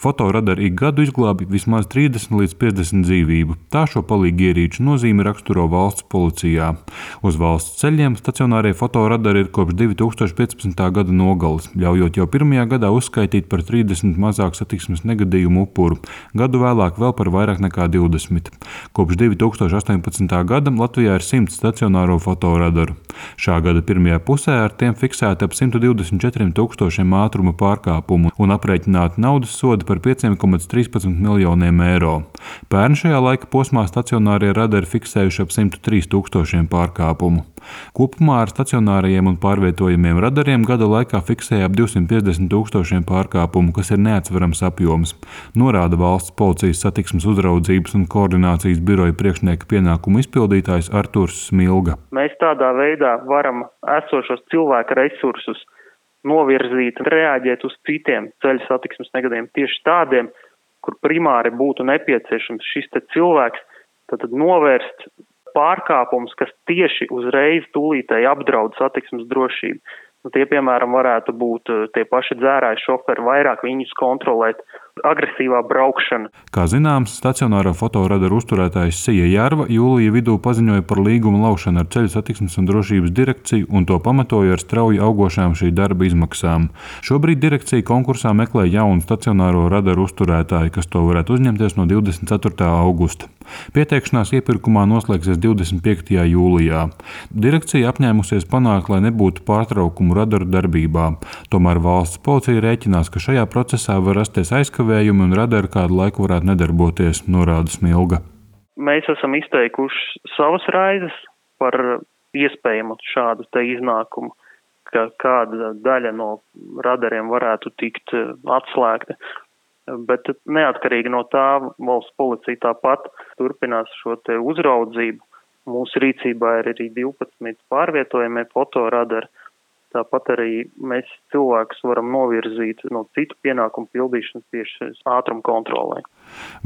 Fotoradari ik gadu izglābj vismaz 30 līdz 50 dzīvību. Tā šo palīgierīču nozīmi raksturo valsts policijā. Uz valsts ceļiem stacionārie fotoradari ir kopš 2015. gada nogales, ļaujot jau pirmajā gadā uzskaitīt par 30 mazāk satiksmes negadījumu upuru, gadu vēlāk vēl par vairāk nekā 20. Kopš 2018. gada Latvijā ir 100 stacionāro fotoradaru. Šā gada pirmajā pusē ar tiem fiksēti ap 124 tūkstošiem ātruma pārkāpumu un aprēķināti naudas sodi par 5,13 miljoniem eiro. Pērn šajā laika posmā stacionārie radari fiksējuši ap 103 tūkstošiem pārkāpumu. Kopumā ar stacionārajiem un pārvietojamiem radariem gada laikā fiksēja ap 250 tūkstošiem pārkāpumu, kas ir neatsverams apjoms, norāda Valsts policijas satiksmes uzraudzības un koordinācijas biroja priekšnieka pienākumu izpildītājs Arturs Smilga. Mēs tādā veidā varam esošos cilvēku resursus novirzīt un reaģēt uz citiem ceļu satiksmes negadījumiem, tieši tādiem, kur primāri būtu nepieciešams šis cilvēks, tad novērst pārkāpumus, kas tieši uzreiz tūlītēji apdraud satiksmes drošību. Tie, piemēram, varētu būt tie paši dzērāji šoferi, vairāk viņus kontrolēt, agresīvā braukšana. Kā zināms, stacionāro fotoradaru uzturētājs Sija Jārva jūlija vidū paziņoja par līguma laušanu ar Ceļu satiksmes un drošības direkciju un to pamatoja ar strauji augošām šī darba izmaksām. Šobrīd direkcija konkursā meklē jaunu stacionāro radaru uzturētāju, kas to varētu uzņemties no 24. augusta. Pieteikšanās iepirkumā noslēgsies 25. jūlijā. Direkcija apņēmusies panākt, lai nebūtu pārtraukumu radaru darbībā. Tomēr valsts policija rēķinās, ka šajā procesā var rasties aizkavējumi un radari kādu laiku varētu nedarboties, norāda Smilga. Mēs esam izteikuši savas raizes par iespējamu šādu iznākumu, ka kāda daļa no radariem varētu tikt atslēgta. Bet neatkarīgi no tā valsts policija tāpat turpinās šo uzraudzību. Mūsu rīcībā ir arī 12 pārvietojamie fotoradari. Tāpat arī mēs cilvēkus varam novirzīt no citu pienākumu pildīšanas tieši ātruma kontrolē.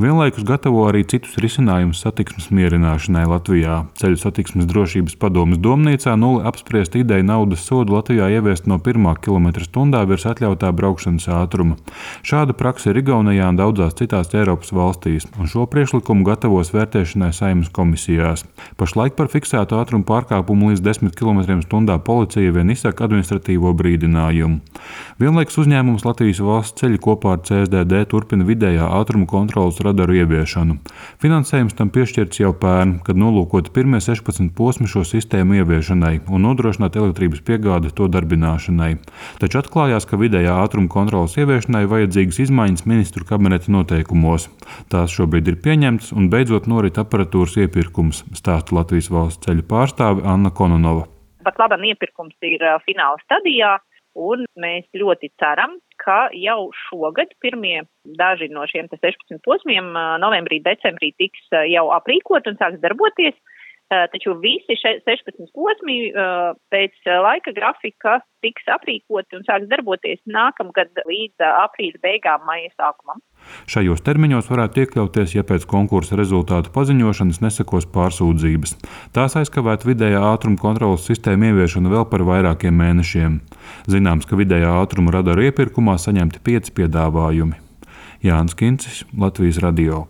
Vienlaikus gatavo arī citus risinājumus satiksmes mierināšanai Latvijā. Ceļu satiksmes drošības padomes domnīcā nulle apspriest ideju naudas sodu Latvijā ieviest no 1 km/h virs atļautā braukšanas ātruma. Šāda praksa ir Igaunijā un daudzās citās Eiropas valstīs, un šo priekšlikumu gatavos vērtēšanai Saeimas komisijās. Pašlaik par fiksētu ātrumu pārkāpumu līdz 10 km/h policija vien izsaka administratīvo brīdinājumu. Vienlaikus uzņēmums Latvijas valsts ceļi kopā ar CSDD turpina vidējā ātruma kontroles radaru ieviešanu. Finansējums tam piešķirts jau pērn, kad nolūkoti pirmie 16 posmi šo sistēmu ieviešanai un nodrošināt elektrības piegādi to darbināšanai. Taču atklājās, ka vidējā ātruma kontroles ieviešanai vajadzīgas izmaiņas ministru kabineta noteikumos. Tās šobrīd ir pieņemtas un beidzot norit aparatūras iepirkums, stāsta Latvijas valsts ceļu pārstāve Anna Kononova. Pat labam iepirkums ir fināla stadijā, un mēs ļoti ceram, ka jau šogad pirmie daži no šiem 16 posmiem novembrī, decembrī tiks jau aprīkot un sāks darboties. Taču visi 16 posmi pēc laika grafika tiks aprīkoti un sāks darboties nākamgad līdz aprīļa beigām, maija sākumam. Šajos termiņos varētu iekļauties, ja pēc konkursa rezultātu paziņošanas nesekos pārsūdzības. Tās aizkavētu vidējā ātruma kontroles sistēmu ieviešanu vēl par vairākiem mēnešiem. Zināms, ka vidējā ātruma radaru iepirkumā saņemti 5 piedāvājumi. Jānis Kincis, Latvijas radio.